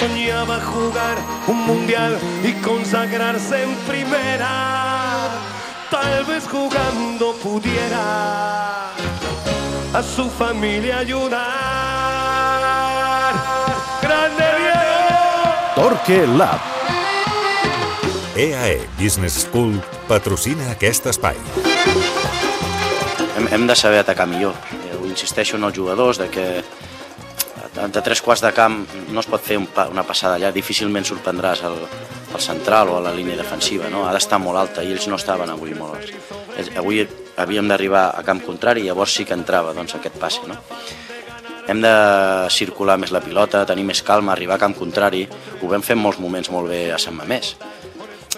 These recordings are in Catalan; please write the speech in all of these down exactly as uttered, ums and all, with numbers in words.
soñaba jugar un mundial y consagrarse en primera. Tal vez jugando pudiera a su familia ayudar. ¡Grande Diego! Torque Lab. E A E Business School patrocina aquest espai. Hem, hem de saber atacar millor. Ho insisteixo en els jugadors de que de tres quarts de camp no es pot fer un pa, una passada allà, difícilment sorprendràs el, el central o a la línia defensiva, no? Ha d'estar molt alta i ells no estaven avui molt alts. Ells, avui havíem d'arribar a camp contrari i llavors sí que entrava doncs, aquest passe. No? Hem de circular més la pilota, tenir més calma, arribar a camp contrari. Ho vam fer en molts moments molt bé a Sant Mamés.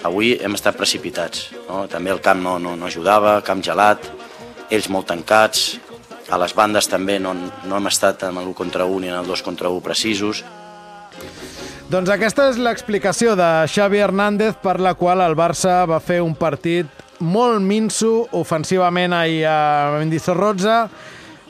Avui hem estat precipitats, no? També el camp no, no, no ajudava, camp gelat, ells molt tancats, a les bandes també no, no hem estat en l'u contra u ni en el dos contra u precisos. Doncs aquesta és l'explicació de Xavi Hernández per la qual el Barça va fer un partit molt minso ofensivament ahir a Mendizorroza,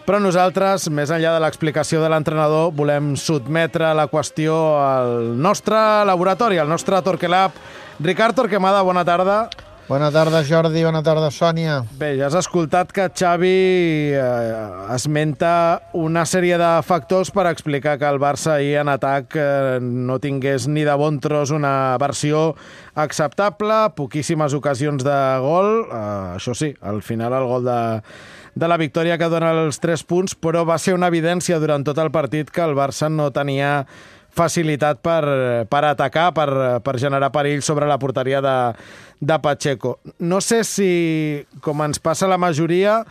però nosaltres, més enllà de l'explicació de l'entrenador, volem sotmetre la qüestió al nostre laboratori, al nostre Torque Lab. Ricard Torquemada, bona tarda. Bona tarda, Jordi. Bona tarda, Sònia. Bé, ja has escoltat que Xavi eh, esmenta una sèrie de factors per explicar que el Barça ahir en atac eh, no tingués ni de bon tros una versió acceptable, poquíssimes ocasions de gol, eh, això sí, al final el gol de, de la victòria que dona els tres punts, però va ser una evidència durant tot el partit que el Barça no tenia facilitat per, per atacar, per, per generar perill sobre la porteria de, de Pacheco. No sé si, com ens passa la majoria,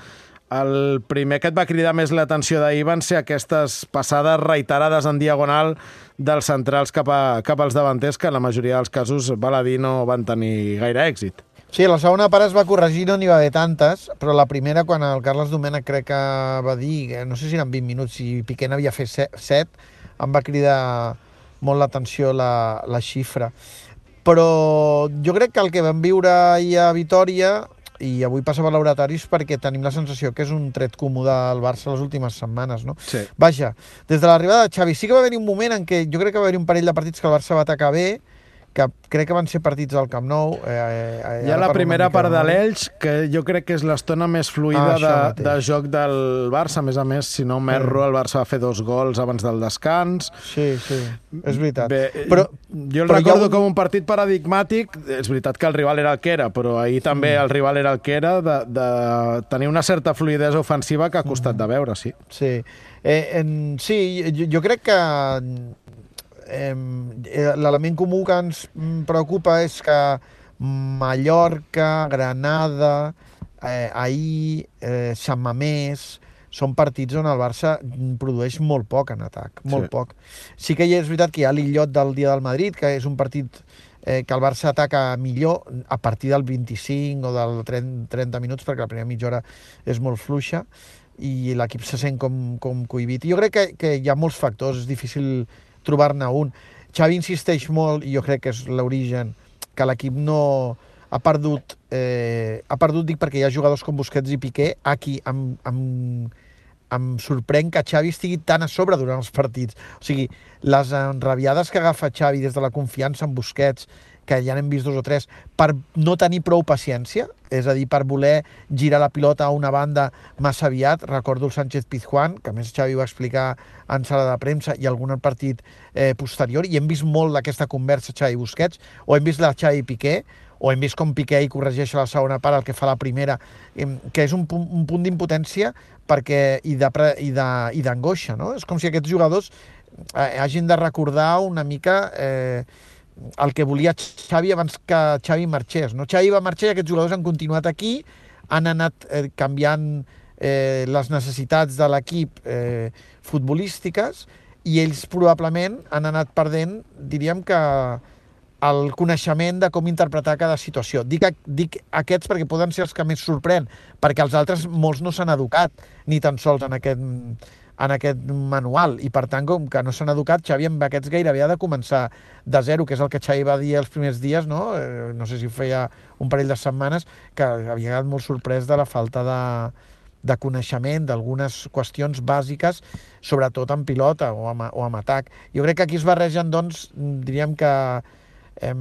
el primer que et va cridar més l'atenció d'ahir van ser aquestes passades reiterades en diagonal dels centrals cap, a, cap als davanters, que en la majoria dels casos, val a dir, no van tenir gaire èxit. Sí, la segona part es va corregir, no n'hi va haver tantes, però la primera, quan el Carles Domènech crec que va dir, no sé si eren vint minuts, si Piqué n'havia fet set, em va cridar molt l'atenció la, la xifra. Però jo crec que el que vam viure ahir a Vitòria, i avui passa per laboratoris, perquè tenim la sensació que és un tret comú del Barça les últimes setmanes, no? Sí. Vaja, des de l'arribada de Xavi sí que va haver-hi un moment en què jo crec que va haver-hi un parell de partits que el Barça va atacar bé, que crec que van ser partits al Camp Nou. Eh, eh, Hi ha la primera part de l'Elx, que jo crec que és l'estona més fluida ah, de, de joc del Barça. A més a més, si no m'erro, el Barça va fer dos gols abans del descans. Sí, sí, és veritat. Bé, però, jo el però recordo un... com un partit paradigmàtic. És veritat que el rival era el que era, però ahir també mm. el rival era el que era, de, de tenir una certa fluïdesa ofensiva que ha costat mm. de veure, sí. Sí, eh, en, sí jo, jo crec que Eh, l'element comú que ens preocupa és que Mallorca, Granada, eh, ahir, eh, Sant Mamés, són partits on el Barça produeix molt poc en atac, molt sí. poc. Sí que és veritat que hi ha l'illot del dia del Madrid, que és un partit eh, que el Barça ataca millor a partir del vint-i-cinc o del trenta minuts, perquè la primera mitja hora és molt fluixa i l'equip se sent com, com cohibit. Jo crec que, que hi ha molts factors, és difícil trobar-ne un. Xavi insisteix molt, i jo crec que és l'origen, que l'equip no ha perdut, eh, ha perdut, dic, perquè hi ha jugadors com Busquets i Piqué, aquí em, em, em sorprèn que Xavi estigui tan a sobre durant els partits. O sigui, les enrabiades que agafa Xavi des de la confiança en Busquets, que ja n'hem vist dos o tres, per no tenir prou paciència, és a dir, per voler girar la pilota a una banda massa aviat. Recordo el Sánchez-Pizjuán, que a més Xavi va explicar en sala de premsa, i algun partit eh, posterior, i hem vist molt d'aquesta conversa Xavi-Busquets, o hem vist la Xavi-Piqué, o hem vist com Piqué hi corregeix a la segona part el que fa la primera, que és un punt, un punt d'impotència perquè, i d'angoixa, no? És com si aquests jugadors eh, hagin de recordar una mica eh, el que volia Xavi abans que Xavi marxés, no? Xavi va marxar i aquests jugadors han continuat aquí, han anat eh, canviant eh, les necessitats de l'equip eh, futbolístiques, i ells probablement han anat perdent, diríem que el coneixement de com interpretar cada situació. Dic, dic aquests perquè poden ser els que més sorprèn, perquè els altres molts no s'han educat ni tan sols en aquest, en aquest manual, i per tant, com que no s'han educat, Xavi amb aquests gairebé ha de començar de zero, que és el que Xavi va dir els primers dies, no, eh, no sé si feia un parell de setmanes, que havia quedat molt sorprès de la falta de, de coneixement d'algunes qüestions bàsiques, sobretot en pilota o amb, o amb atac. Jo crec que aquí es barregen, doncs, diríem que eh,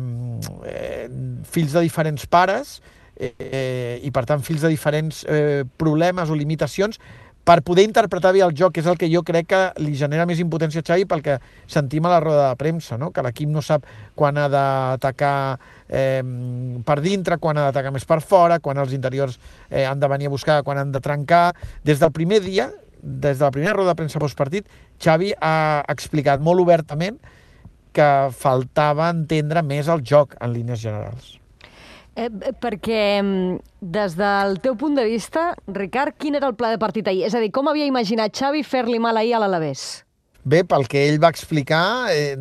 eh, fills de diferents pares eh, i, per tant, fills de diferents eh, problemes o limitacions per poder interpretar bé el joc, que és el que jo crec que li genera més impotència a Xavi pel que sentim a la roda de premsa, no? Que l'equip no sap quan ha d'atacar eh, per dintre, quan ha d'atacar més per fora, quan els interiors eh, han de venir a buscar, quan han de trencar. Des del primer dia, des de la primera roda de premsa postpartit, Xavi ha explicat molt obertament que faltava entendre més el joc en línies generals. Eh, perquè, des del teu punt de vista, Ricard, quin era el pla de partit ahir? És a dir, com havia imaginat Xavi fer-li mal ahir a l'Alavés? Bé, pel que ell va explicar, eh,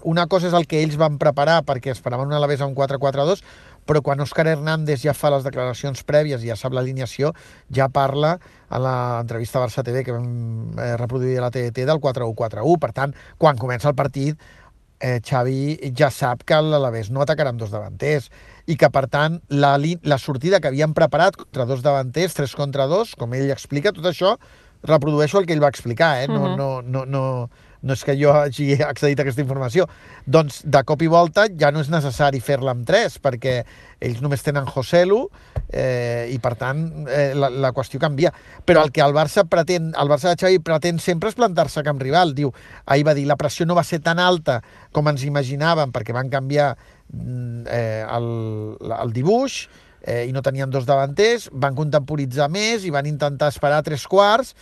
una cosa és el que ells van preparar perquè esperaven un Alavés amb quatre quatre dos, però quan Òscar Hernández ja fa les declaracions prèvies i ja sap l'alineació, ja parla a l'entrevista a Barça T V que vam eh, reproduir a la T D T del quatre u quatre u. Per tant, quan comença el partit, eh, Xavi ja sap que l'Alavés no atacarà amb dos davanters i que, per tant, la, la sortida que havien preparat contra dos davanters, tres contra dos, com ell explica, tot això reprodueixo el que ell va explicar, eh? No, uh-huh. no, no, no, no és que jo hagi accedit a aquesta informació. Doncs, de cop i volta, ja no és necessari fer-la amb tres, perquè ells només tenen Joselu eh, i, per tant, eh, la, la qüestió canvia. Però el que el Barça pretén, el Barça de Xavi pretén sempre és plantar-se a camp rival. Diu, ahir va dir, la pressió no va ser tan alta com ens imaginàvem, perquè van canviar eh, el, el dibuix, Eh, i no tenien dos davanters, van contemporitzar més i van intentar esperar tres quarts,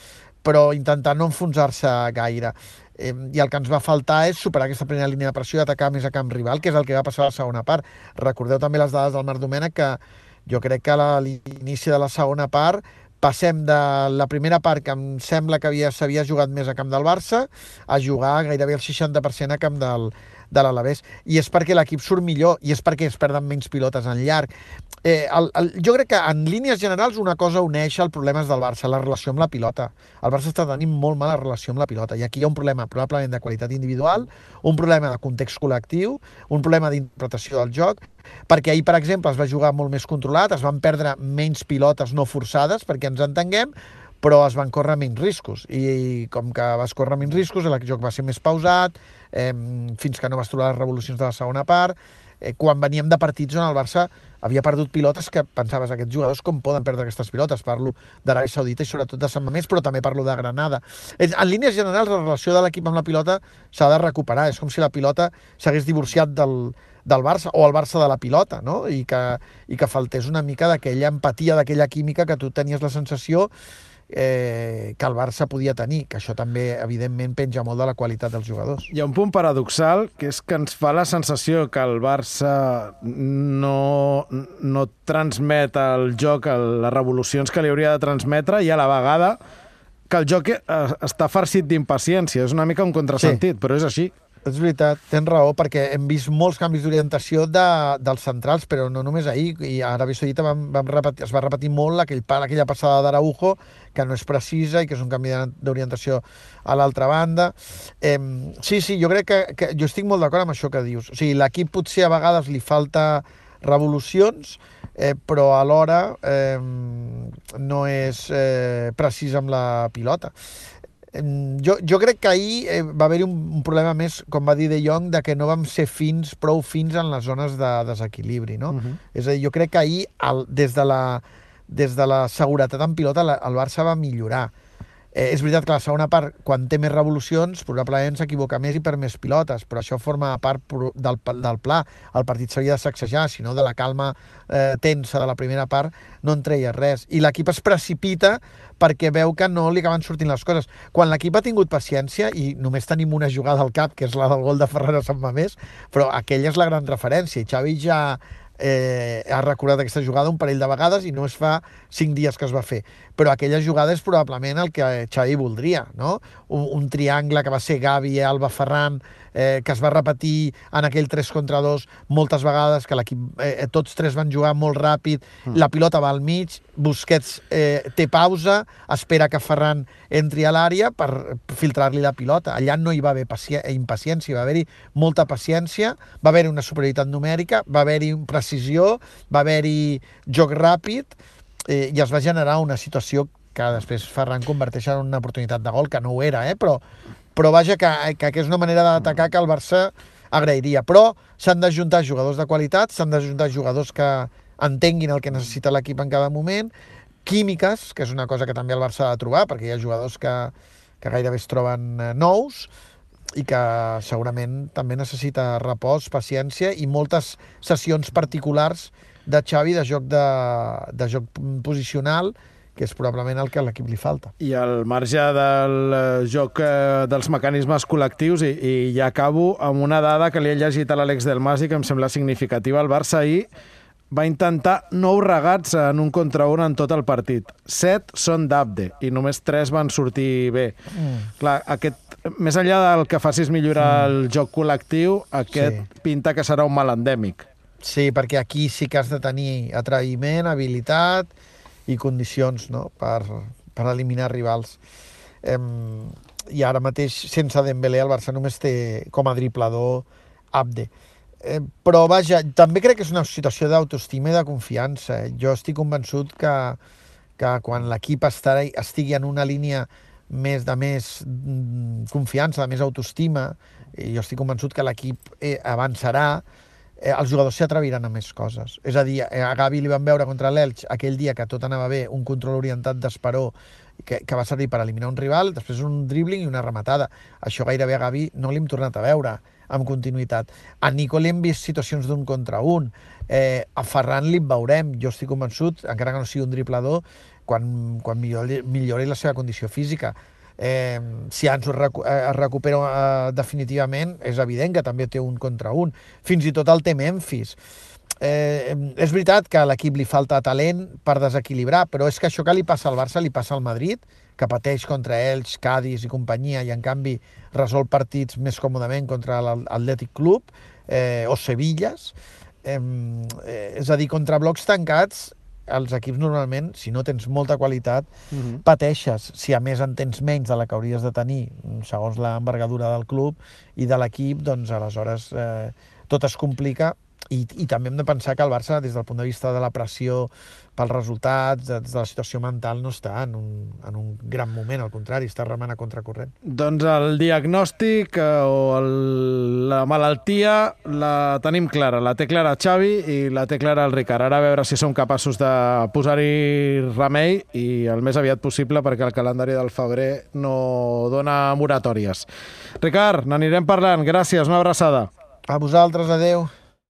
però intentar no enfonsar-se gaire. Eh, I el que ens va faltar és superar aquesta primera línia de pressió i atacar més a camp rival, que és el que va passar a la segona part. Recordeu també les dades del Marc Domènech, que jo crec que a l'inici de la segona part passem de la primera part, que em sembla que s'havia jugat més a camp del Barça, a jugar gairebé el seixanta per cent a camp del, de l'Alavés. I és perquè l'equip surt millor, i és perquè es perden menys pilotes en llarg. Eh, el, el, jo crec que en línies generals una cosa uneix els problemes del Barça, la relació amb la pilota. El Barça està tenint molt mala relació amb la pilota, i aquí hi ha un problema probablement de qualitat individual, un problema de context col·lectiu, un problema d'interpretació del joc, perquè ahir, per exemple, es va jugar molt més controlat, es van perdre menys pilotes no forçades, perquè ens entenguem, però es van córrer menys riscos. I com que vas córrer menys riscos, el joc va ser més pausat, eh, fins que no vas trobar les revolucions de la segona part, eh, quan veníem de partits on el Barça havia perdut pilotes que pensaves, aquests jugadors com poden perdre aquestes pilotes? Parlo d'Aràbia Saudita i sobretot de Sant Mamés, però també parlo de Granada. En línies generals, la relació de l'equip amb la pilota s'ha de recuperar. És com si la pilota s'hagués divorciat del, del Barça, o el Barça de la pilota, no? I que, i que faltés una mica d'aquella empatia, d'aquella química que tu tenies la sensació eh, que el Barça podia tenir, que això també, evidentment, penja molt de la qualitat dels jugadors. Hi ha un punt paradoxal, que és que ens fa la sensació que el Barça no, no transmet el joc, les revolucions que li hauria de transmetre, i a la vegada que el joc està farcit d'impaciència. És una mica un contrasentit, sí, però és així. És veritat, tens raó, perquè hem vist molts canvis d'orientació de, dels centrals, però no només ahir. I a Aràbia Saudita vam, vam repetir, es va repetir molt aquell, aquella passada d'Araujo, que no és precisa i que és un canvi d'orientació a l'altra banda. Eh, sí, sí, jo crec que, que jo estic molt d'acord amb això que dius. O sigui, l'equip potser a vegades li falta revolucions, eh, però alhora eh, no és eh, precís amb la pilota. Jo, jo crec que ahir eh, va haver-hi un, un problema més, com va dir De Jong, de que no vam ser fins, prou fins en les zones de desequilibri, no? Uh-huh. És a dir, jo crec que ahir, el, des, de la, des de la seguretat en pilota, la, el Barça va millorar. Eh, és veritat que la segona part, quan té més revolucions, probablement s'equivoca més i per més pilotes, però això forma part del, del pla. El partit s'havia de sacsejar, si no, de la calma eh, tensa de la primera part no en treia res. I l'equip es precipita perquè veu que no li acaben sortint les coses. Quan l'equip ha tingut paciència, i només tenim una jugada al cap, que és la del gol de Ferran a Sant Mamés, però aquella és la gran referència, i Xavi ja eh, ha recordat aquesta jugada un parell de vegades i no es fa cinc dies que es va fer. Però aquella jugada és probablement el que Xavi voldria, no? Un, un triangle que va ser Gavi, Alba, Ferran, eh, que es va repetir en aquell tres contra dos moltes vegades, que l'equip, eh, tots tres van jugar molt ràpid, mm. la pilota va al mig, Busquets eh, té pausa, espera que Ferran entri a l'àrea per filtrar-li la pilota. Allà no hi va haver impaciència, va haver-hi molta paciència, va haver-hi una superioritat numèrica, va haver-hi precisió, va haver-hi joc ràpid, eh, i es va generar una situació que després Ferran converteix en una oportunitat de gol, que no ho era, eh? però, però vaja, que, que, que és una manera d'atacar que el Barça agrairia. Però s'han d'ajuntar jugadors de qualitat, s'han d'ajuntar jugadors que entenguin el que necessita l'equip en cada moment, químiques, que és una cosa que també el Barça ha de trobar, perquè hi ha jugadors que, que gairebé es troben nous i que segurament també necessita repòs, paciència i moltes sessions particulars de Xavi de joc, de, de joc posicional, que és probablement el que a l'equip li falta. I al marge del joc eh, dels mecanismes col·lectius, i, i ja acabo amb una dada que li he llegit a l'Àlex Del Mas i que em sembla significativa. El Barça ahir va intentar nou regats en un contra un en tot el partit. Set són d'Abde i només tres van sortir bé. Mm. Clar, aquest, més enllà del que facis millorar mm. el joc col·lectiu, aquest sí. pinta que serà un mal endèmic. Sí, perquè aquí sí que has de tenir atreviment, habilitat i condicions, no?, per, per eliminar rivals. Eh, I ara mateix, sense Dembélé, el Barça només té com a driblador Abde. Eh, però, vaja, també crec que és una situació d'autoestima i de confiança. Jo estic convençut que, que quan l'equip estigui en una línia més de més confiança, de més autoestima, jo estic convençut que l'equip eh, avançarà, eh, els jugadors s'atreviran a més coses. És a dir, a Gavi li van veure contra l'Elx aquell dia que tot anava bé, un control orientat d'Esperó que, que va servir per eliminar un rival, després un dribbling i una rematada. Això gairebé a Gavi no l'hem tornat a veure amb continuïtat. A Nico li hem vist situacions d'un contra un. Eh, a Ferran li veurem. Jo estic convençut, encara que no sigui un driblador, quan, quan millori, millori la seva condició física. Eh, si Ansu es, recu es recupera eh, definitivament, és evident que també té un contra un. Fins i tot el té Memphis. Eh, és veritat que a l'equip li falta talent per desequilibrar, però és que això que li passa al Barça li passa al Madrid, que pateix contra Elx, Cádiz i companyia, i en canvi resol partits més còmodament contra l'Atlètic Club eh, o Sevillas. Eh, eh, és a dir, contra blocs tancats, els equips normalment, si no tens molta qualitat, uh-huh. pateixes. Si a més en tens menys de la que hauries de tenir, segons l'envergadura del club i de l'equip, doncs aleshores eh, tot es complica. I, I també hem de pensar que el Barça, des del punt de vista de la pressió pels resultats, des de la situació mental, no està en un, en un gran moment, al contrari, està remant a contracorrent. Doncs el diagnòstic eh, o el, la malaltia la tenim clara, la té clara Xavi i la té clara el Ricard. Ara a veure si som capaços de posar-hi remei i el més aviat possible, perquè el calendari del febrer no dona moratòries. Ricard, n'anirem parlant. Gràcies, una abraçada. A vosaltres, adeu.